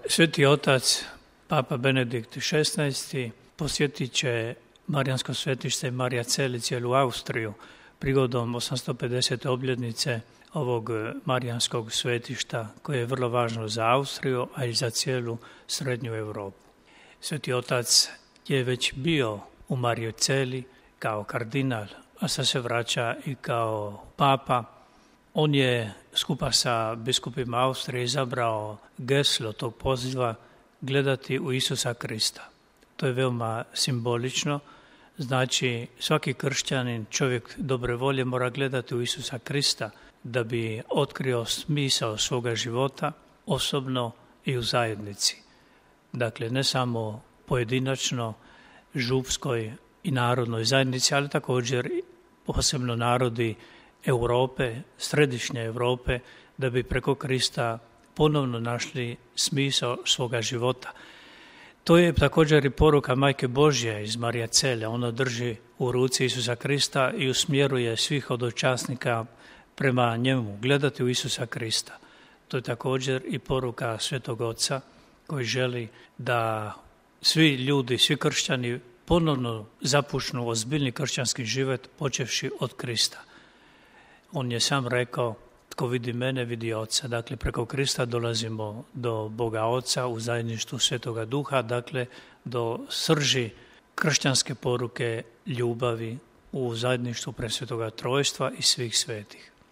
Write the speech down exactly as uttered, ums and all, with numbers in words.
Sveti otac, Papa Benedikt šesnaesti. posjetit će Marijansko svetište Marija Celi cijelu Austriju prigodom osamsto pedesete obljetnice ovog Marijanskog svetišta koje je vrlo važno za Austriju, a i za cijelu srednju Europu. Sveti otac je već bio u Marijoj Celi kao kardinal, a sad se vraća i kao papa. On je skupa sa biskupima Austrije izabrao geslo tog poziva gledati u Isusa Krista. To je veoma simbolično, znači svaki kršćanin, čovjek dobre volje mora gledati u Isusa Krista da bi otkrio smisao svoga života, osobno i u zajednici. Dakle, ne samo pojedinačno, župskoj i narodnoj zajednici, ali također posebno narodi Europe, središnje Europe, da bi preko Krista ponovno našli smisao svoga života. To je također i poruka Majke Božje iz Marija Cele. Ona drži u ruci Isusa Krista i usmjeruje svih hodočasnika prema njemu, gledati u Isusa Krista. To je također i poruka Svetog Oca koji želi da svi ljudi, svi kršćani ponovno zapušnu ozbiljni kršćanski život počevši od Krista. On je sam rekao, tko vidi mene, vidi Oca. Dakle, preko Krista dolazimo do Boga Oca u zajedništvu Svetoga Duha, dakle, do srži kršćanske poruke ljubavi u zajedništvu Presvetoga Trojstva i svih svetih.